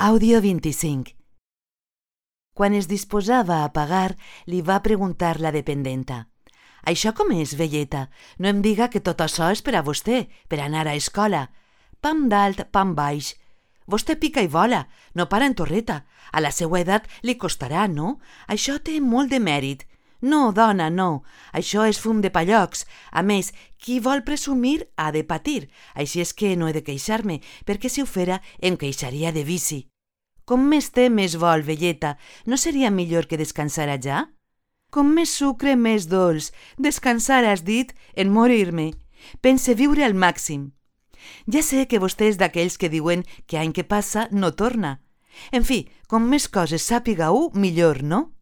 Àudio 25. Quan es disposava a pagar, li va preguntar la dependenta: «Això com és, velleta? No em diga que tot això és per a vostè, per anar a escola. Pam dalt, pam baix. Vostè pica i vola, no para en torreta. A la seua edat li costarà, no? Això té molt de mèrit. No, dona, no. Això és fum de pallocs. A més, qui vol presumir ha de patir. Així és que no he de queixar-me, perquè si ho fera em queixaria de vici. Com més té, més vol, velleta. No seria millor que descansara ja? Com més sucre, més dolç. Descansar, has dit? En morir-me. Pense viure al màxim. Ja sé que vostè és d'aquells que diuen que any que passa no torna. En fi, com més coses sàpiga-ho, millor, no?